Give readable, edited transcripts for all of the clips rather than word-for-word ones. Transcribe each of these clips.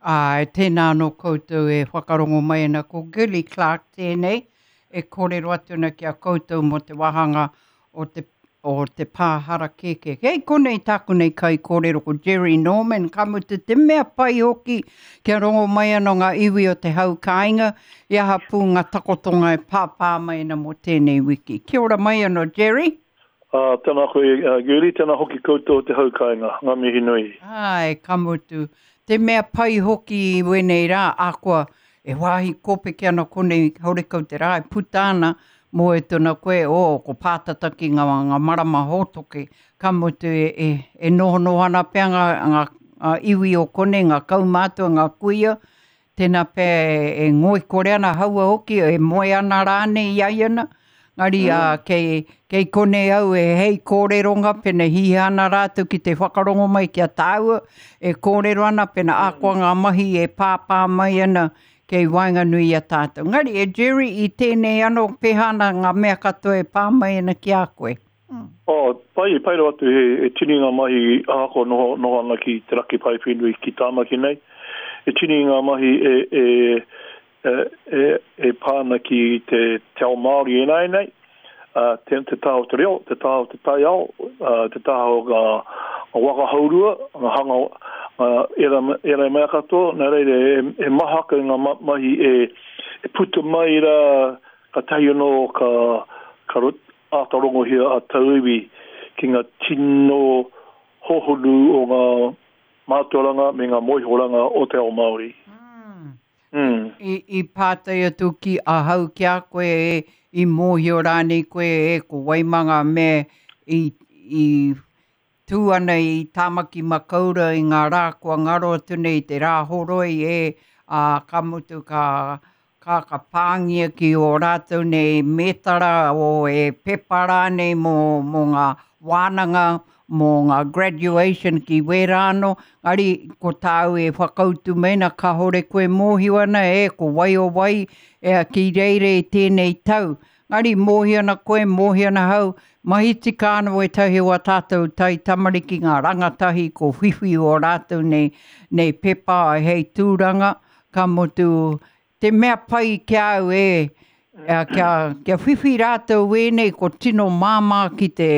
Āe, tēnā anō koutou e whakarongo mai ana. Ko Girlie Clarke tēnei e kōrero atu ana ki a koutou mō te wāhanga o te, o te pā harakeke. Kei konei tāku nei kaikōrero ko Jerry Norman, ka mutu te mea pai hoki kia rongo mai anō ngā iwi o te hau kāinga i aha pū ngā takotonga e pāpā mai ana mō tēnei wiki. Kia ora mai anō Jerry. Ā, tēnā koe, Girlie, tēnā hoki koutou o te hau kāinga. Ngā mihi nui. Āe, ka mutu. Te mea pai hoki i wēnei rā, ahakoa e wāhi kōpeke ana konei, horekau te rā e puta ana, moe tona koe, oh, ko pātata ki ngā, ngā marama hōtoke, ka mutu e, e, e nohonoho ana pea ngā, ngā, ngā iwi o konei, ngā kaumātua, ngā kuia, Tēnā pea e ngoikore ana haua hoki, e moe ana rānei i a ia na. Ngari mm. a, kei, kei konei au e hei kōreronga, pena hiha ana rātou ki te whakarongo mai ki a tāua, e kōrero ana, pena mm. akoa ngā mahi e pāpā mai ana kei waenganui i a tātou. Ngari, e Jerry, i tēnei anō, pēhā ana ngā mea katoa e pā mai ana ki a koe? Mm. Oh, pai, pai rawa atu he, he tini ngā mahi ahakoa noho, noho ana ki te raki paewhenui ki Tāmaki nei. He tini ngā mahi e, e, e, e, e pā ana ki te, te ao Māori ināianei, uh, te, te taha o te reo, te taha o te taiao, uh, te taha o ngā, ngā waka hourua, ngā hanga, ngā era, era mea katoa, nā reira e, e maha ake ngā mahi e, e puta mai rā, katahi anō ka, ka āta rongohia a tauiwi ki ngā tino hōhonu o ngā mātauranga me ngā mōhiohoranga o te ao Māori. Mm. I, i pātai atu ki ahau ki a koe e, i mōhio rānei koe e ko Waimanga me i, i Tū ana i Tāmaki Makaurau i ngā rā kua ngaro atu nei i te Rāhoroi e, ā, ka mutu ka, ka, ka pāngia ki ō rātou nei mētara o e pepa rānei mō, mō ngā wānanga, mō ngā graduation ki wērā anō. Engari, ko tāu e whakautu mai ana kāore koe mōhio ana e ko wai o wai e, ki reira i tēnei tau. Engari, mōhio ana koe, mōhio ana ahau, mahi tika ana wētahi o ā tātou tai tamariki, ngā rangatahi ko whiwhi o rātou nei, nei pepa hei tūranga, ka mutu, te mea pai ki a au e, kia, kia whiwhi rātou wēnei ko tino māmā ki te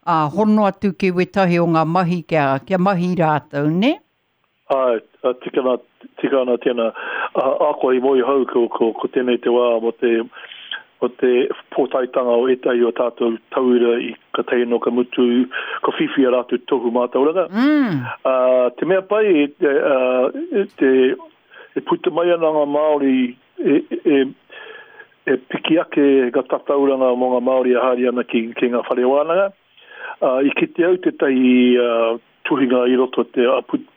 uh, hono atu ki wētahi o ngā mahi kia, kia mahi rātou, nē? Āe, tika ana, tika ana tēnā. Ahakoa i moe hou ko, ko, ko tēnei te wā mō te, mō te pōtaetanga o ētahi o tātou tauira i ka tae anō ka mutu, ka whiwhi a rātou tohu mātauranga. Mm. Ā, te mea pai, e, e, te, e puta mai ana ngā Māori e, e, e piki ake ngā tatauranga mō ngā Māori e haere ana ki, ki ngā whare wānanga. Ā, i kite au tētahi tuhinga i roto te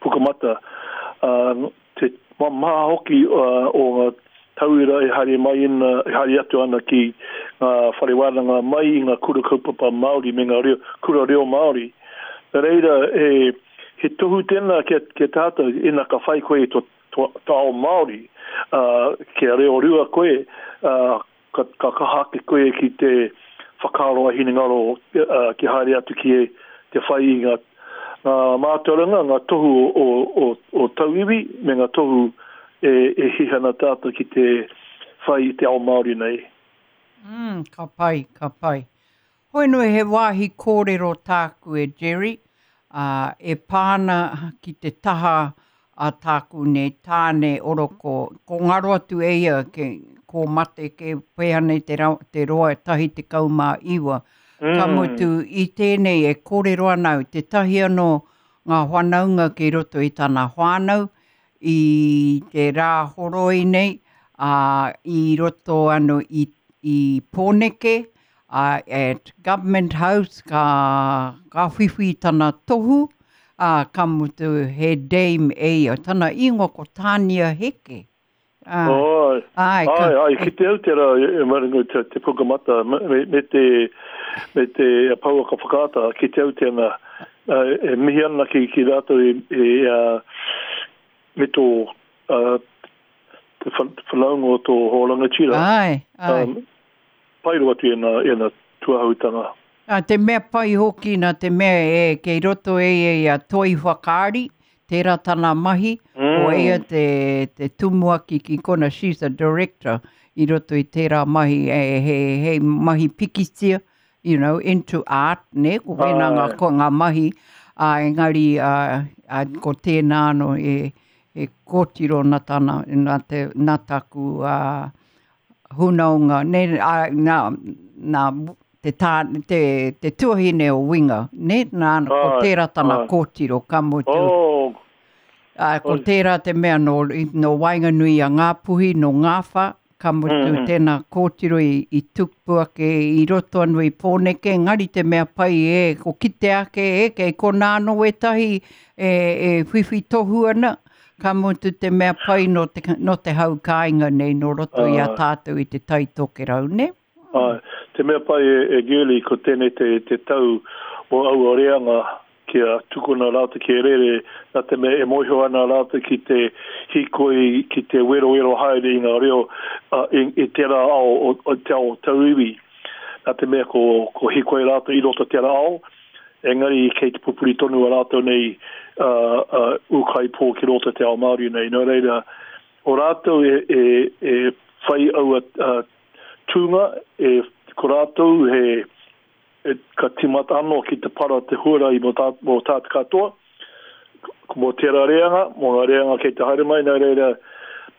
Pukamata, ā, te maha hoki o ngā tauira e haere mai ana, e haere atu ana ki ngā whare wānanga mai i ngā kura kaupapa Māori me ngā reo, kura reo Māori. Nā reira, he, he tohu tēnā ki a, ki a tātou, ina ka whai koe i tō, tō, tō ao Māori, ā, kia reo rua koe, ā, Ka, ka kaha ake koe ki te whakaaro a hinengaro kia haere atu ki te whai i ngā, ngā mātauranga, ngā tohu o, o, o tauiwi me ngā tohu e, e hiha ana tātou ki te whai i te ao Māori nei. Mm, ka pai, ka pai. Hoi anō he wāhi kōrero tāku e Jerry, ā, e pā ana ki te taha a tāku nei tāne oroko, ko ngaro atu e ia ke, ko mate ke pēhea nei te, ra, te roa e 19. Mm. Ka mutu i tēnei e kōrero ana au, tētahi anō ngā whanaunga kei roto i tana whānau, i te rā horoi nei, ā, i roto anō i, i Pōneke, ā, at Government House ka, ka whiwhi tana tohu, ā, ka mutu he dame e ia. Tana ingoa ko Tānia Heke. Ā, Āe, āe, ka, āe, āe, kite au tērā e maringo te, te pukamata me, me te, me te pouaka whakaata, kite au tēnā, e mihi ana ki, ki rātou e, e, me tō, te whanaunga o tō hoa rangatira. Āe, āe. Um, pai rawa atu ēnā, ēnā tuahautanga. Nā te mea pai hoki, nā te mea e kei roto e ia i a Toi Whakaari, tērā tana mahi, mm. Ko ia te, te tumuaki ki kona, she's a director i roto i tērā mahi, e, he, he mahi pikitia, you know, into art, ne, ko wēnā ngā, ko ngā mahi, ā, engari, ā, ā, ko tēnā anō e, e kōtiro nā tana, nā te, nā taku, ā, hunaonga, ne, ā, nā, nā, te tā, te, te tuahine o Winga, ne, nā, ko tērā tana kōtiro, ka mutu. Oh, Ā, ko tērā te mea nō, nō waenganui i a Ngāpuhi, nō Ngāwha, ka mutu tēnā kōtiro i, i tupu ake i roto anō i Pōneke, engari te mea pai e, ko kite ake e, kei konā anō wētahi e, e whiwhi tohu ana, ka mutu te mea pai nō te, nō te hau kāinga nei, nō roto i a tātou i Te Tai Tokerau, nē? Āe, te mea pai e, e Girlie, ko tēnei te, te tau o aua reanga kia tukuna rātou ki rere, nā te mea e mōhio ana rātou ki te hīkoi, ki te werowero haere i ngā reo i, i tērā ao, o, o te ao tauiwi. Nā te mea ko, ko hīkoi rātou i roto tērā ao, engari kei te pupuri tonu a rātou nei uh, uh, ūkaipō ki roto te ao Māori nei. Nō reira, o rātou e, e, e whai aua uh, tūnga, e, ko rātou he, e, ka tīmata anō ki te para te huarahi mō, tā, mō tātou katoa, mō tērā reanga, mō ngā reanga kei te haere mai, nā reira,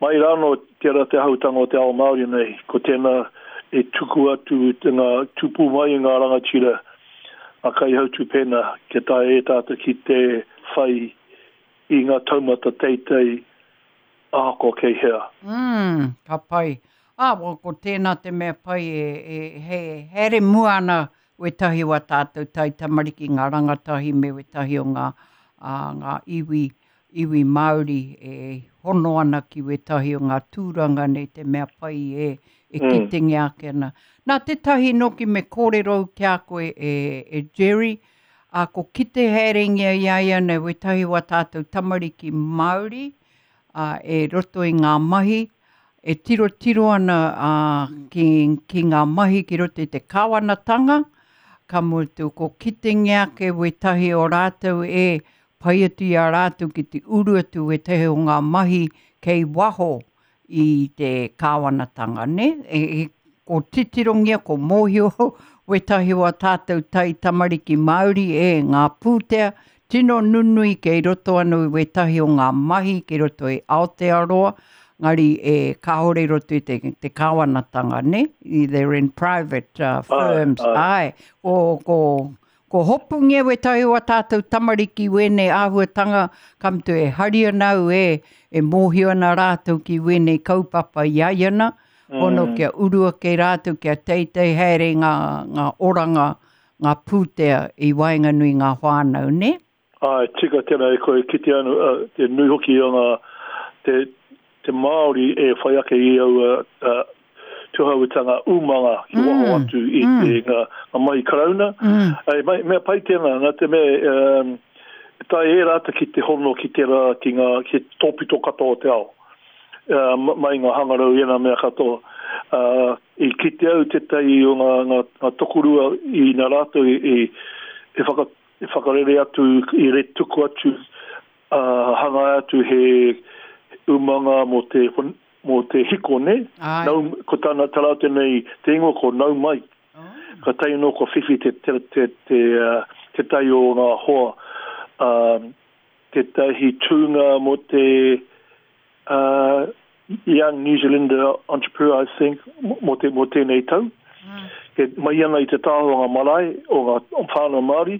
mai rānō tērā te hautanga o te ao Māori nei, ko tēnā e tuku atu te ngā tupu mai i ngā rangatira, ngā kaihautū pēnā, kia taea e tātou ki te whai i ngā taumata teitei ahakoa kei hea. Mm, ka pai. Ā, well, ko tēnā te mea pai e, e, he haere mua ana wētahi o ā tātou taitamariki, ngā rangatahi me wētahi o ngā, ā, ngā iwi, iwi Māori e hono ana ki wētahi o ngā tūranga nei te mea pai e, e mm. kitengia ake ana. Nā tētahi noki me kōrero ki a koe e, e Jerry, ā, ko kite haerengia i a ia nei wētahi o ā tātou tamariki Māori, ā, e roto i ngā mahi, e tirotiro ana ā, ki, ki ngā mahi ki roto i te kāwanatanga, ka mutu ko kitengia ake wētahi o rātou e pai atu i a rātou ki te uru atu wētahi o ngā mahi kei waho i te kāwanatanga, nē? E, e, ko titirongia, ko mōhio wētahi o a tātou tai tamariki Māori e ngā pūtea tino nunui kei roto anō i wētahi o ngā mahi kei roto i Aotearoa, ngari e kāore i roto i te, te kāwanatanga, nē? They're in private uh, firms. Ai, ai. Ko, ko, Ko hopungia wētahi o a tātou tamariki wēnei āhuatanga, ka mutu e hari ana au e, e mōhio ana rātou ki wēnei kaupapa i a ia na, hono kia uru ake rātou, kia teitei haere ngā, ngā oranga, ngā pūtea i waenganui ngā whānau, nē? Āe, tika tēnā e koe, kite anu, te nui hoki o ngā, te, te Māori e whai ake i aua uh, tuhauetanga umanga ki waho mm. atu i mm. te ngā, ngā mahi karauna. Mm. Ei, mai, mea pai tēnā, nā te mea, um, tae e rāta ki te hono ki te rā, ki ngā ki tōpito katoa o te ao. Uh, mai ngā hangarau i ena mea katoa. Uh, i kite au tētahi o ngā, ngā, ngā tokorua i nā rātou i, i, e, whaka, e whakarere atu, i re tuku atu Ā, hangaia atu he umanga mō te, mō te hiko, nē? Āe. Nau, ko tāna, tā rātou nei, te ingoa ko Nau Mai. Oh. Ka tae anō kua whiwhi te, te, te, te, uh, tētahi o ngā hoa, uh, tētahi tūnga mō te, uh, Young New Zealander Entrepreneur, I think, mō, te, mō tēnei tau. Mm. E mai ana i te taha o ngā marae, o ngā whānau Māori,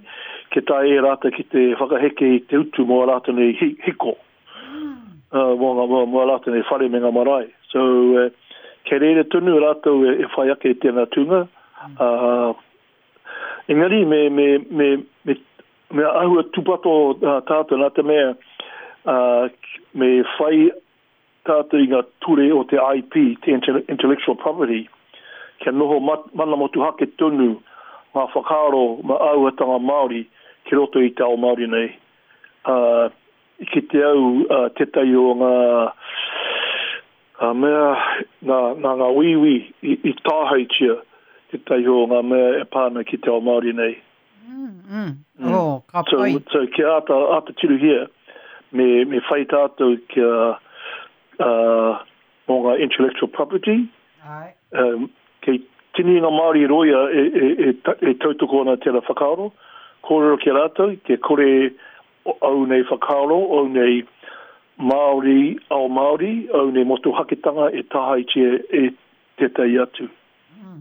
ke tae e rātou ki te whakaheke i te utu mō a rātou nei hi, hiko. Mm. Uh, mō, ngā, mō, mō a rātou nei whare me ngā marae. So, uh, kei reira tonu rātou e, e whai ake i tēnā tūnga. Mm. Uh, engari, me, me, me, me, me āhua tūpato uh, tātou nā te mea uh, me whai tātou i ngā ture o te IP, te Intellectual Property, kia noho mana motuhake tonu ngā whakaaro ma āhuatanga Māori ki roto i te ao Māori nei. Ā, i kite au tētahi o ngā mea, nā, nā ngā Wīwī i, i tāhaetia tētahi o ngā mea e pā ana ki te ao Māori nei. Mm, mm. Oh, ka pai. So, so kia āta, āta tirohia. Me, me whai tātou kia uh, mō ngā intellectual property. Ai. Um, kei tini ngā Māori roia e, e, e, e tautoko ana tērā whakaaro. Kōrero ki a rātou, kia kore au nei whakaaro, au nei Māori, ao Māori, au nei motuhaketanga e tāhaetia e tētahi atu. Mm.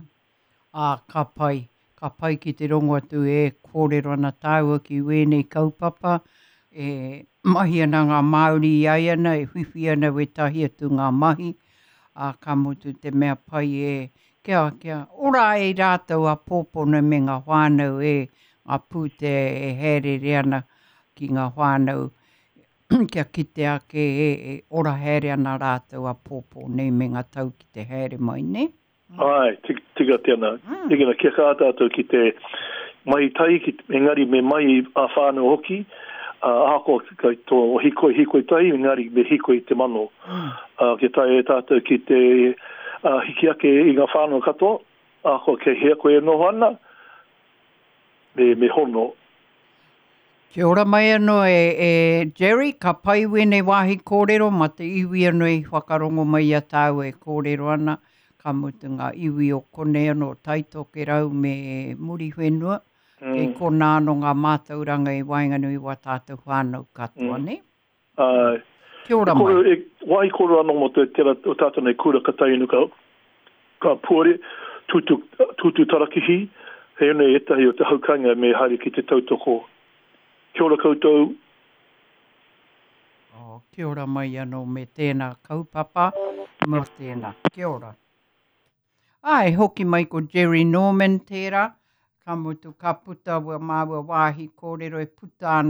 Ā, ka pai, ka pai ki te rongo atu e kōrero ana tāua ki wēnei kaupapa, e mahi ana ngā Māori i aiana, e whiwhi ana wētahi atu ngā mahi, ā, ka mutu te mea pai e, kia, kia ora ai rātou āpōpō nei me ngā whānau e, ngā pūtea e hāereere ana ki ngā whānau kia kite ake e, e ora haere ana rātou āpōpō nei me ngā tau ki te haere mai, nē? Āe, tika tēnā. Tika, kia kaha tātou ki te mahi tahi, ki, engari me mahi ā-whānau hoki, ā, ahakoa kei tō hīkoi, hīkoi tahi, engari me hīkoi te mano. Ā, kia taea e tātou ki te ā, hiki ake i ngā whānau katoa, ahakoa kei hea koe e noho ana, me, me hono. Kia ora mai anō e, e Jerry, ka pai wēnei wāhi kōrero mā te iwi anō i whakarongo mai i a tāua e kōrero ana, ka mutu ngā iwi o konei anō, Taitokerau me Muriwhenua, mm. kei konā anō ngā mātauranga i waenganui i wā tātou whānau katoa, mm. nē? Āe. Kia ora mai. E, wāhi kōrero anō mō te tera o tātou nei kura ka tae inu ka, ka puare, tūtū, tūtū tarakihi, he nei ētahi o te haukainga me haere ki te tautoko. Kia ora koutou. Oh, kia ora mai anō me tēnā kaupapa, mō tēnā. Kia ora. Āe, hoki mai ko Jerry Norman tērā, ka mutu ka puta wā māua wāhi kōrero e puta ana.